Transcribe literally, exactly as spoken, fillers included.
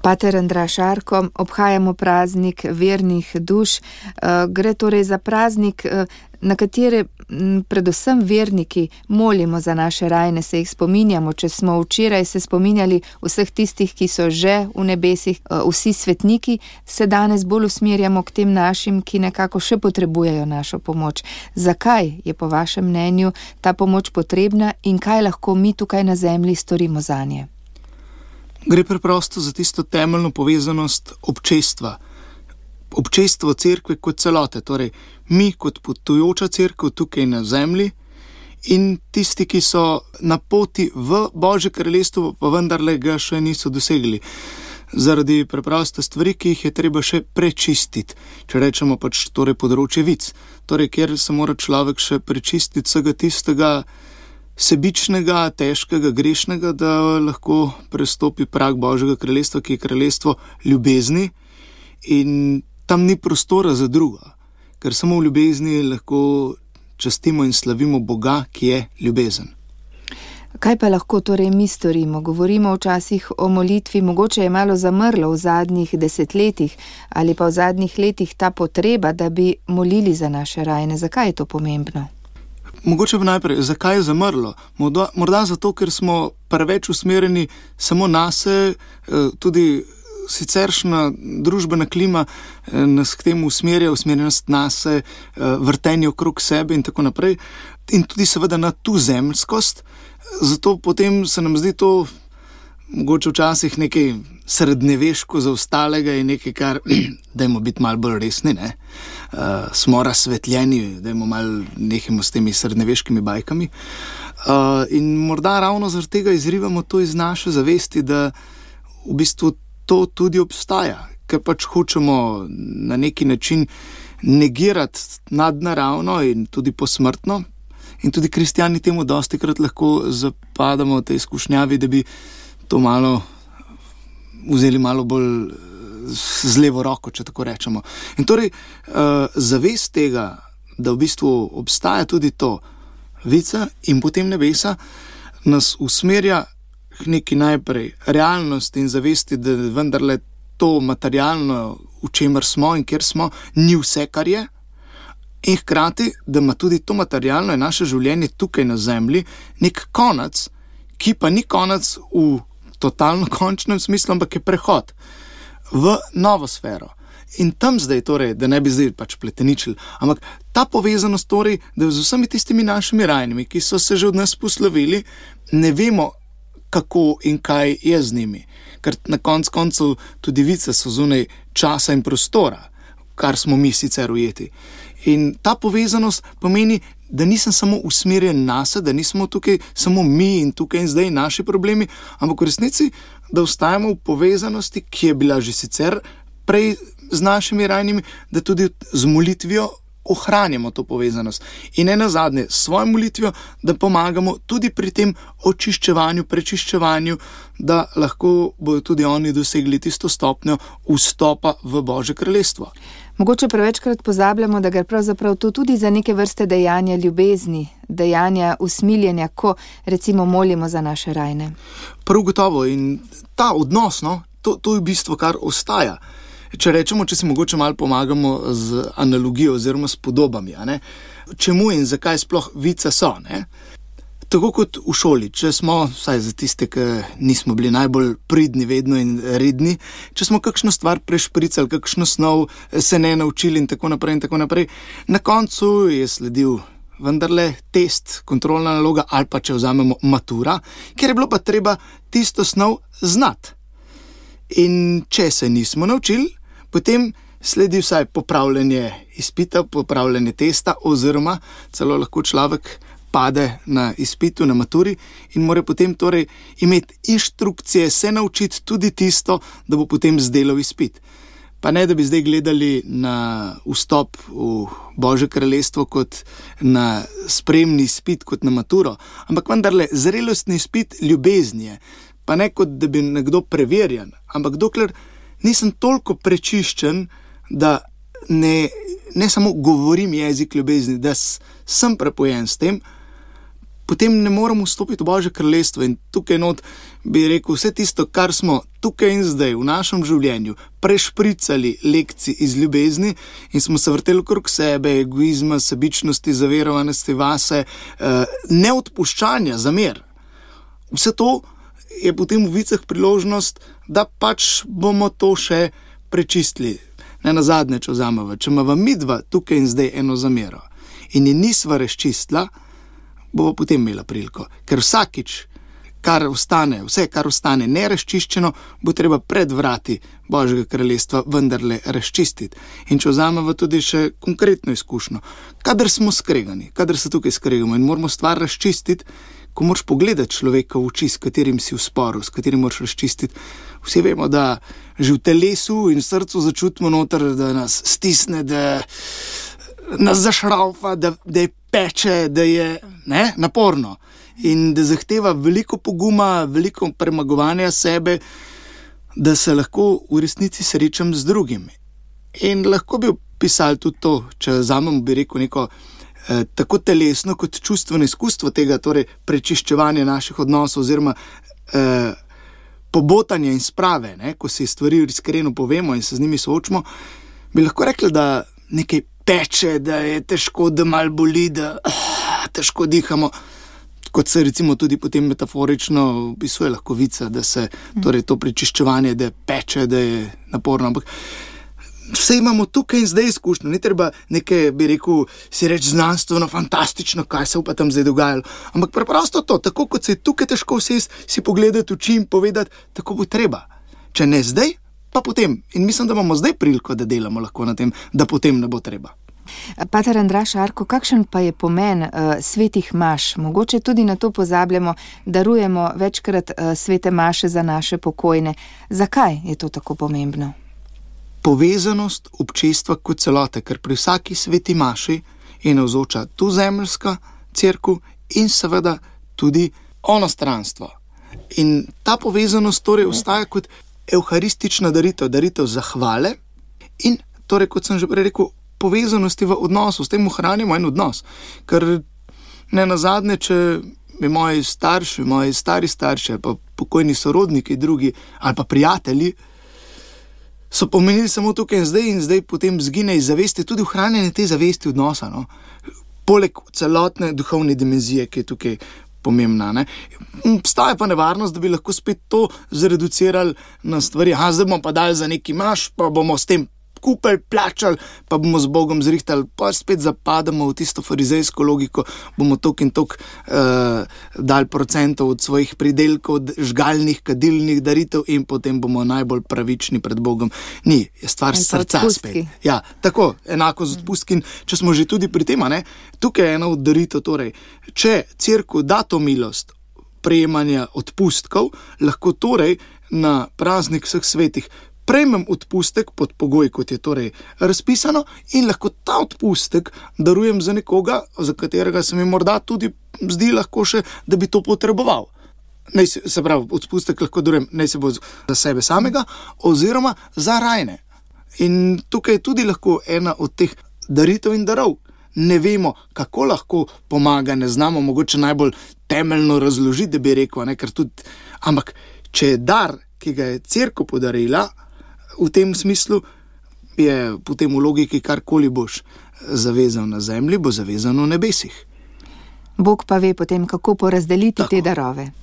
Pater Andraž Arko, obhajamo praznik vernih duš. Gre torej za praznik, na katere predvsem verniki molimo za naše rajne, se jih spominjamo. Če smo včeraj se spominjali vseh tistih, ki so že v nebesih, vsi svetniki, se danes bolj usmerjamo k tem našim, ki nekako še potrebujejo našo pomoč. Zakaj je po vašem mnenju ta pomoč potrebna in kaj lahko mi tukaj na zemlji storimo zanje? Gre preprosto za tisto temeljno povezanost občestva. Občestvo cerkve kot celote, torej mi kot potujoča cerkev tukaj na zemlji in tisti, ki so na poti v Božje kraljestvo, pa vendarle ga še niso dosegli. Zaradi preproste stvari, ki jih je treba še prečistiti, če rečemo pač torej področje vic. Torej, kjer se mora človek še prečistiti vsega tistega sebičnega, težkega, grešnega, da lahko prestopi prag Božjega kraljestva, ki je kraljestvo ljubezni, in tam ni prostora za druga, ker samo v ljubezni lahko častimo in slavimo Boga, ki je ljubezen. Kaj pa lahko torej mi storimo? Govorimo včasih o molitvi, mogoče je malo zamrlo v zadnjih desetletjih ali pa v zadnjih letih ta potreba, da bi molili za naše rajne. Zakaj je to pomembno? Mogoče pa najprej, zakaj je zamrlo? Morda, morda zato, ker smo preveč usmerjeni samo nase, tudi siceršna družbena klima nas k temu usmerja, usmerjenost nase, vrtenje okrog sebe in tako naprej. In tudi seveda na tuzemskost, zato potem se nam zdi to mogoče včasih nekaj srednjeveško zaostalega in nekaj, kar dajmo biti malo bolj resni, ne? Uh, smo razsvetljeni, dajmo malo nehimo s temi srednjeveškimi bajkami. Uh, in morda ravno zaradi tega izrivamo to iz naše zavesti, da v bistvu to tudi obstaja, ker pač hočemo na neki način negirati nadnaravno in tudi posmrtno. In tudi kristjani temu dostikrat lahko zapadamo v tej izkušnjavi, da bi to malo vzeli malo bolj z levo roko, če tako rečemo. In torej uh, zavest tega, da v bistvu obstaja tudi to vica in potem nebesa, nas usmerja k neki najprej realnosti in zavesti, da vendarle to materialno, v čemer smo in kjer smo, ni vse, kar je. In hkrati, da ima tudi to materialno in naše življenje tukaj na zemlji nek konec, ki pa ni konec v totalno končnem smislu, ampak je prehod v novo sfero. In tam zdaj torej, da ne bi zdaj pač pleteničili, ampak ta povezanost torej, da z vsemi tistimi našimi rajnimi, ki so se že od nas poslovili, ne vemo, kako in kaj je z njimi. Ker na konc koncev tudi vice so zunaj časa in prostora, kar smo mi sicer ujeti. In ta povezanost pomeni, da nisem samo usmerjen nase, da nismo tukaj samo mi in tukaj in zdaj naši problemi, ampak v resnici, da ostajamo v povezanosti, ki je bila že sicer prej z našimi rajnimi, da tudi z molitvijo ohranjamo to povezanost. In ne nazadnje, s svojo molitvijo, da pomagamo tudi pri tem očiščevanju, prečiščevanju, da lahko bodo tudi oni dosegli tisto stopnjo vstopa v Božje kraljestvo. Mogoče prevečkrat pozabljamo, da gre pravzaprav to tudi za neke vrste dejanja ljubezni, dejanja usmiljenja, ko recimo molimo za naše rajne. Prav gotovo, in ta odnos, no, to, to je v bistvu, kar ostaja. Če rečemo, če si mogoče malo pomagamo z analogijo oziroma s podobami, a ne? Čemu in zakaj sploh vice so, ne? Tako kot v šoli, če smo, vsaj za tiste, ki nismo bili najbolj pridni vedno in redni, če smo kakšno stvar prešpricali, kakšno snov se ne naučili in tako naprej in tako naprej, na koncu je sledil vendarle test, kontrolna naloga ali pa če vzamemo matura, kjer je bilo pa treba tisto snov znati. In če se nismo naučili, potem sledi vsaj popravljanje izpita, popravljanje testa oziroma celo lahko človek pade na izpitu, na maturi in mora potem torej imeti inštrukcije, se naučiti tudi tisto, da bo potem zdelal izpit. Pa ne, da bi zdaj gledali na vstop v Božje kraljestvo kot na spremni izpit, kot na maturo, ampak vendarle zrelostni izpit ljubezni je. Pa ne kot, da bi nekdo preverjan, ampak dokler nisem toliko prečiščen, da ne, ne samo govorim jezik ljubezni, da sem prepojen s tem, potem ne moremo vstopiti v Božje kraljestvo. In tukaj not bi rekel, vse tisto, kar smo tukaj in zdaj v našem življenju prešpricali lekcij iz ljubezni in smo se vrteli okrog sebe, egoizma, sebičnosti, zaverovanosti vase, neodpuščanja, zamer. Vse to je potem v vicah priložnost, da pač bomo to še prečistili. Ne nazadnje, če vzameva, če imava midva tukaj in zdaj eno zamero in je nisva razčistila, bo potem imela priliko. Ker vsakič, kar ostane, vse, kar ostane nerazčiščeno, bo treba pred vrati Božjega kraljestva vendarle razčistiti. In če vzameva tudi še konkretno izkušnjo, kadar smo skregani, kadar se tukaj skregamo in moramo stvar razčistiti, ko moraš pogledati človeka v oči, s katerim si v sporu, s katerim moraš razčistiti. Vsi vemo, da že v telesu in srcu začutimo noter, da nas stisne, da nas zašraufa, da, da je peče, da je ne, naporno in da zahteva veliko poguma, veliko premagovanja sebe, da se lahko v resnici srečam z drugimi. In lahko bi opisali tudi to, če vzamem, bi rekel, neko eh, tako telesno kot čustveno izkustvo tega, torej prečiščevanja naših odnosov oziroma eh, pobotanja in sprave, ne, ko si stvari iskreno povemo in se z njimi soočimo, bi lahko rekli, da nekaj peče, da je težko, da malo boli, da uh, težko dihamo, kot se recimo tudi potem metaforično opisuje lahko vica, da se torej to prečiščevanje, da peče, da je naporno, ampak vse imamo tukaj in zdaj izkušnjo, ni treba nekaj, bi rekel, si reči znanstveno, fantastično, kaj se pa tam zdaj dogajalo, ampak preprosto to, tako kot se je tukaj težko vsesti, si pogledati oči in povedati, tako bo treba, če ne zdaj, pa potem. In mislim, da imamo zdaj priliko, da delamo lahko na tem, da potem ne bo treba. Pater Andraž Arko, kakšen pa je pomen uh, svetih maš? Mogoče tudi na to pozabljamo, darujemo večkrat uh, svete maše za naše pokojne. Zakaj je to tako pomembno? Povezanost občestva kot celote, ker pri vsaki sveti maši je navzoča tu zemeljska cerkev in seveda tudi onostranstvo. In ta povezanost torej ostaja kot evharistična daritev, daritev zahvale in torej, kot sem že prej rekel, povezanosti v odnosu, s tem ohranjamo en odnos. Ker ne nazadnje, če bi moji starši, moji stari starši, pa pokojni sorodniki, drugi ali pa prijatelji, so pomenili samo tukaj in zdaj in zdaj potem zgine iz zavesti, tudi ohranjanje te zavesti odnosa, no? Poleg celotne duhovne dimenzije, ki je tukaj pomembna. Ne? Obstaja pa nevarnost, da bi lahko spet to zreducirali na stvari. Aha, zdaj bomo pa dali za neki maš, pa bomo s tem kupili, plačali, pa bomo z Bogom zrihtali, pa spet zapadamo v tisto farizejsko logiko, bomo tok in tok uh, dali procentov od svojih pridelkov, žgalnih, kadilnih daritev in potem bomo najbolj pravični pred Bogom. Ni, je stvar srca spet. Ja, tako, enako z odpustki. Če smo že tudi pri tem, ne, tukaj je ena od daritev, torej, če cerkev da to milost prejemanja odpustkov, lahko torej na praznik vseh svetih prejmem odpustek pod pogoj, kot je torej razpisano, in lahko ta odpustek darujem za nekoga, za katerega se mi morda tudi zdi lahko še, da bi to potreboval. Naj se, se pravi, odpustek lahko darujem, naj se bo za sebe samega, oziroma za rajne. In tukaj je tudi lahko ena od teh daritev in darov. Ne vemo, kako lahko pomaga, ne znamo mogoče najbolj temeljno razložiti, da bi rekel, ne, ker tudi, ampak če je dar, ki ga je cerkev podarila, v tem smislu je potem v logiki karkoli boš zavezal na zemlji, bo zavezano v nebesih. Bog pa ve potem, kako porazdeliti Tako. te darove.